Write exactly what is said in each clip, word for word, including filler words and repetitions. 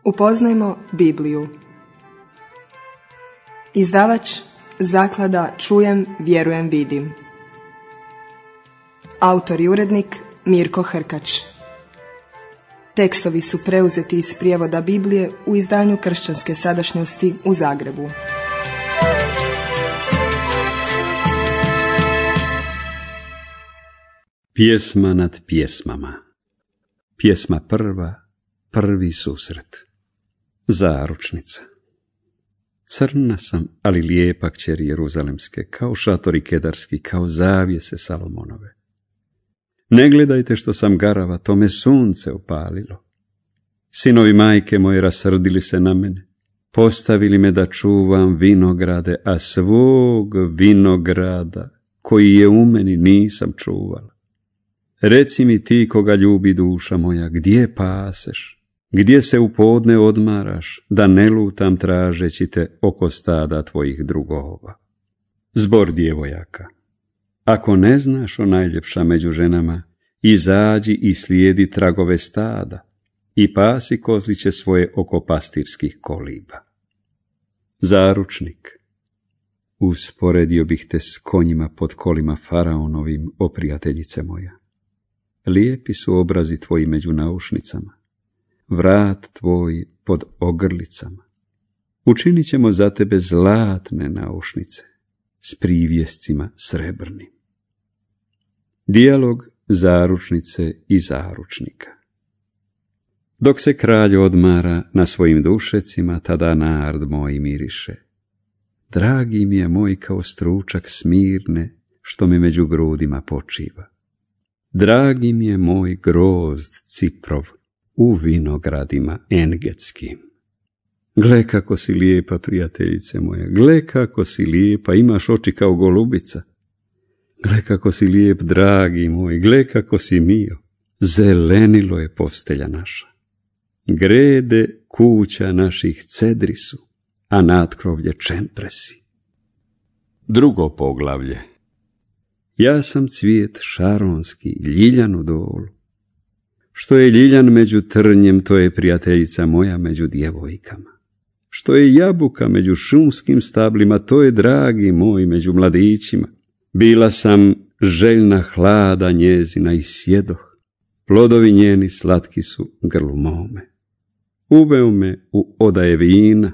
Upoznajmo Bibliju. Izdavač Zaklada Čujem, vjerujem, vidim. Autor i urednik Mirko Hrkač. Tekstovi su preuzeti iz prijevoda Biblije u izdanju Kršćanske sadašnjosti u Zagrebu. Pjesma nad pjesmama. Pjesma prva, prvi susret. Zaručnica. Crna sam, ali lijepa kćeri Jeruzalemske, kao šatori kedarski, kao zavjese Salomonove. Ne gledajte što sam garava, to me sunce opalilo. Sinovi majke moje rasrdili se na mene, postavili me da čuvam vinograde, a svog vinograda, koji je u meni, nisam čuvala. Reci mi ti, koga ljubi duša moja, gdje paseš? Gdje se u podne odmaraš, da ne lutam tražeći te oko stada tvojih drugova? Zbor djevojaka. Ako ne znaš o najljepša među ženama, izađi i slijedi tragove stada i pasi kozliće svoje oko pastirskih koliba. Zaručnik. Usporedio bih te s konjima pod kolima faraonovim, o prijateljice moja. Lijepi su obrazi tvoji među naušnicama, vrat tvoj pod ogrlicama. Učinit ćemo za tebe zlatne naušnice s privjescima srebrnim. Dijalog zaručnice i zaručnika. Dok se kralj odmara na svojim dušecima, tada nard moj miriše. Dragi mi je moj kao stručak Smirne, što mi među grudima počiva. Dragi mi je moj grozd Ciprov u vinogradima engetskim. Gle kako si lijepa, prijateljice moja, gle kako si lijepa, imaš oči kao golubica. Gle kako si lijep, dragi moj, gle kako si mio, zelenilo je postelja naša. Grede kuća naših cedri su, a natkrovlje čempresi. Drugo poglavlje. Ja sam cvijet šaronski, ljiljan u dolu. Što je ljiljan među trnjem, to je prijateljica moja među djevojkama. Što je jabuka među šumskim stablima, to je dragi moj među mladićima. Bila sam željna hlada njezina i sjedoh, plodovi njeni slatki su grlu mome. Uveo me u odaje vina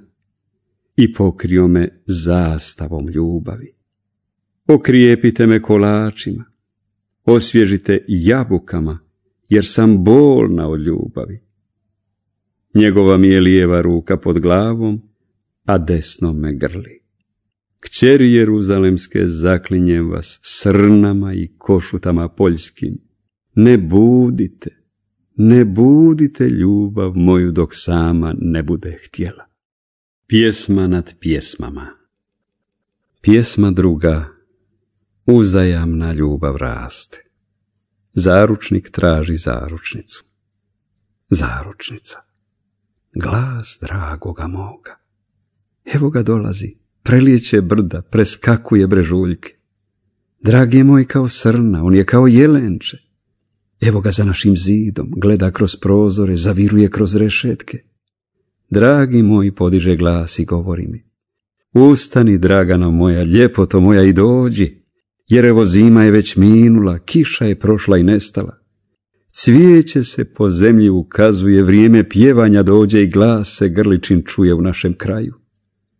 i pokrio me zastavom ljubavi. Okrijepite me kolačima, osvježite jabukama, jer sam bolna od ljubavi. Njegova mi je lijeva ruka pod glavom, a desno me grli. Kćeri Jeruzalemske, zaklinjem vas srnama i košutama poljskim. Ne budite, ne budite ljubav moju dok sama ne bude htjela. Pjesma nad pjesmama. Pjesma druga. Uzajamna ljubav raste. Zaručnik traži zaručnicu. Zaručnica. Glas dragoga moga. Evo ga dolazi, prelijeće brda, preskakuje brežuljke. Dragi je moj kao srna, on je kao jelenče. Evo ga za našim zidom, gleda kroz prozore, zaviruje kroz rešetke. Dragi moj, podiže glas i govori mi. Ustani, dragano moja, ljepoto moja, i dođi, jer evo zima je već minula, kiša je prošla i nestala. Cvijeće se po zemlji ukazuje, vrijeme pjevanja dođe i glas se grličin čuje u našem kraju.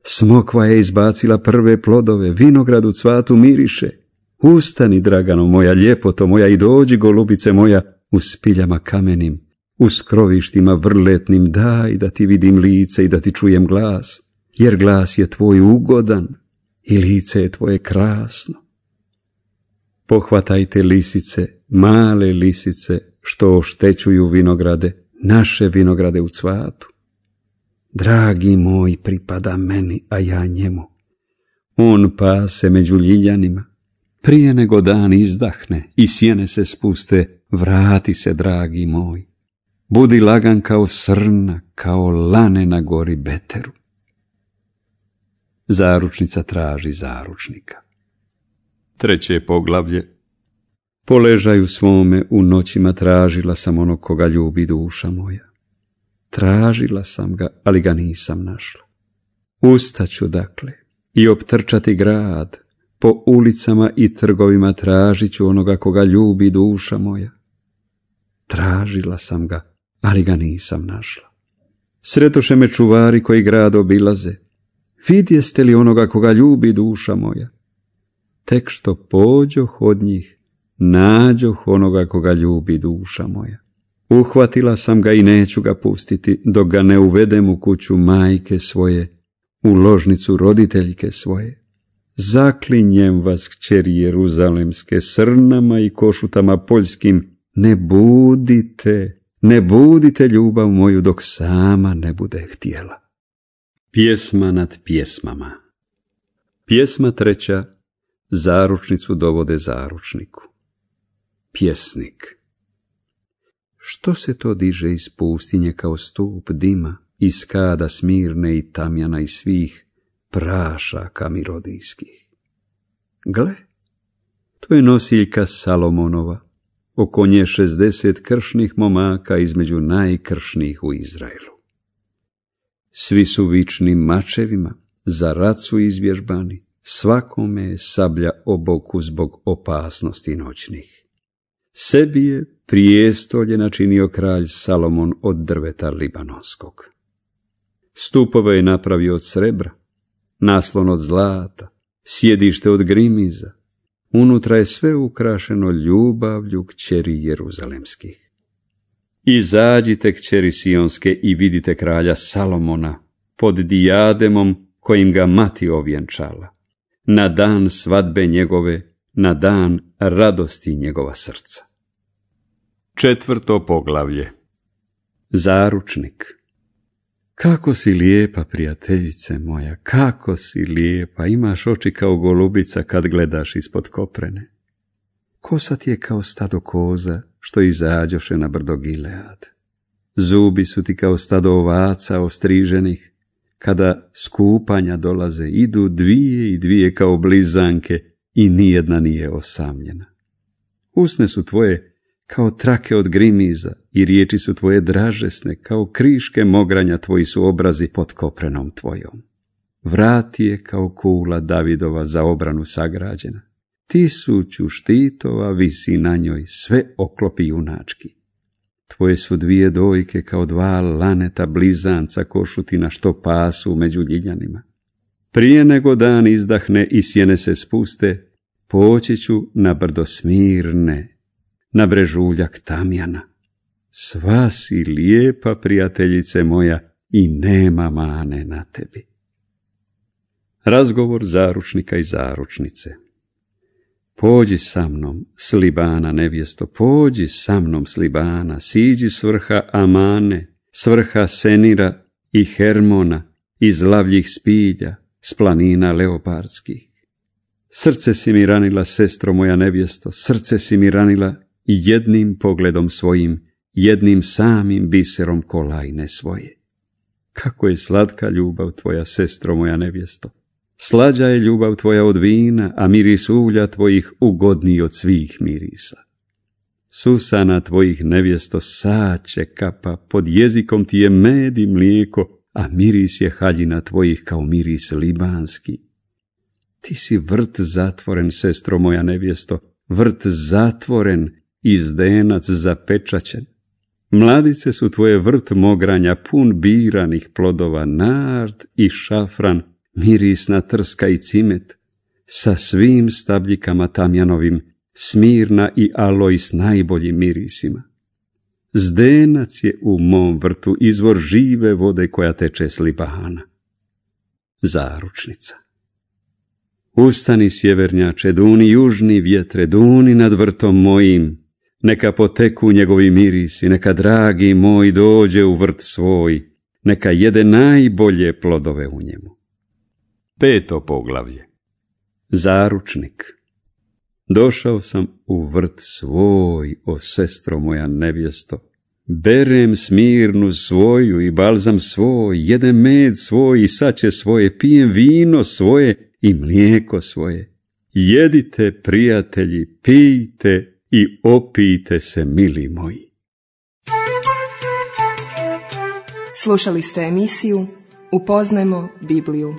Smokva je izbacila prve plodove, vinograd u cvatu miriše. Ustani, dragano moja, ljepoto moja, i dođi, golubice moja, u spiljama kamenim, u skrovištima vrletnim, daj da ti vidim lice i da ti čujem glas, jer glas je tvoj ugodan i lice je tvoje krasno. Pohvatajte lisice, male lisice, što oštećuju vinograde, naše vinograde u cvatu. Dragi moj pripada meni, a ja njemu. On pase među ljiljanima. Prije nego dan izdahne i sjene se spuste, vrati se, dragi moj. Budi lagan kao srna, kao lane na gori Beteru. Zaručnica traži zaručnika. Treće poglavlje. Po ležaju svome u noćima tražila sam onog koga ljubi duša moja. tražila sam ga, ali ga nisam našla. Ustaću dakle i optrčati grad, po ulicama i trgovima tražit ću onoga koga ljubi duša moja. Tražila sam ga, ali ga nisam našla. Sretoše me čuvari koji grad obilaze. Vidjeste li onoga koga ljubi duša moja? Tek što pođoh od njih, nađoh onoga koga ljubi duša moja. Uhvatila sam ga i neću ga pustiti, dok ga ne uvedem u kuću majke svoje, u ložnicu roditeljke svoje. Zaklinjem vas, kćeri jeruzalemske, srnama i košutama poljskim, ne budite, ne budite ljubav moju dok sama ne bude htjela. Pjesma nad pjesmama. Pjesma treća, zaručnicu dovode zaručniku. Pjesnik. Što se to diže iz pustinje kao stup dima, iz kada Smirne i Tamjana i svih prašaka mirodijskih? Gle, to je nosiljka Salomonova, oko nje šezdeset kršnih momaka između najkršnijih u Izraelu. Svi su vični mačevima, za rat su izvježbani, svakome je sablja o boku zbog opasnosti noćnih. Sebi je prijestolje načinio kralj Salomon od drveta libanonskog. Stupove je napravio od srebra, naslon od zlata, sjedište od grimiza, unutra je sve ukrašeno ljubavlju kćeri jeruzalemskih. Izađite, kćeri sionske, i vidite kralja Salomona pod dijademom kojim ga mati ovjenčala, na dan svadbe njegove, na dan radosti njegova srca. Četvrto poglavlje. Zaručnik. Kako si lijepa, prijateljice moja, kako si lijepa, imaš oči kao golubica kad gledaš ispod koprene. Kosa ti je kao stado koza što izađoše na brdo Gilead. Zubi su ti kao stado ovaca ostriženih, kada skupanja dolaze, idu dvije i dvije kao blizanke i nijedna nije osamljena. Usne su tvoje kao trake od grimiza i riječi su tvoje dražesne, kao kriške mogranja tvoji su obrazi pod koprenom tvojom. Vrat je kao kula Davidova za obranu sagrađena. Tisuću štitova visi na njoj, sve oklopi junački. Tvoje su dvije dojke kao dva laneta blizanca košutina što pasu među ljiljanima. Prije nego dan izdahne i sjene se spuste, poći ću na brdo Smirne, na brežuljak Tamjana. Sva si lijepa, prijateljice moja, i nema mane na tebi. Razgovor zaručnika i zaručnice. Pođi sa mnom, s Libana nevjesto, pođi sa mnom s Libana, siđi s vrha Amane, s vrha Senira i Hermona, iz lavljih spilja, s planina leopardskih. Srce si mi ranila, sestro moja nevjesto, srce si mi ranila i jednim pogledom svojim, jednim samim biserom kolajne svoje. Kako je slatka ljubav tvoja, sestro moja nevjesto. Slađa je ljubav tvoja od vina, a miris ulja tvojih ugodniji od svih mirisa. Susana tvojih nevjesto saće kapa, pod jezikom ti je med i mlijeko, a miris je haljina tvojih kao miris libanski. Ti si vrt zatvoren, sestro moja nevjesto, vrt zatvoren i zdenac zapečaćen. Mladice su tvoje vrt mogranja, pun biranih plodova, nard i šafran, mirisna trska i cimet, sa svim stabljikama tamjanovim, Smirna i aloj s najboljim mirisima. Zdenac je u mom vrtu izvor žive vode koja teče s Libana. Zaručnica. Ustani, sjevernjače, duni južni vjetre, duni nad vrtom mojim, neka poteku njegovi mirisi, neka dragi moj dođe u vrt svoj, neka jede najbolje plodove u njemu. Peto poglavlje. Zaručnik. Došao sam u vrt svoj, o sestro moja nevjesto. Berem Smirnu svoju i balzam svoj, jedem med svoj i saće svoje, pijem vino svoje i mlijeko svoje. Jedite, prijatelji, pijte i opijte se, mili moji. Slušali ste emisiju Upoznajmo Bibliju.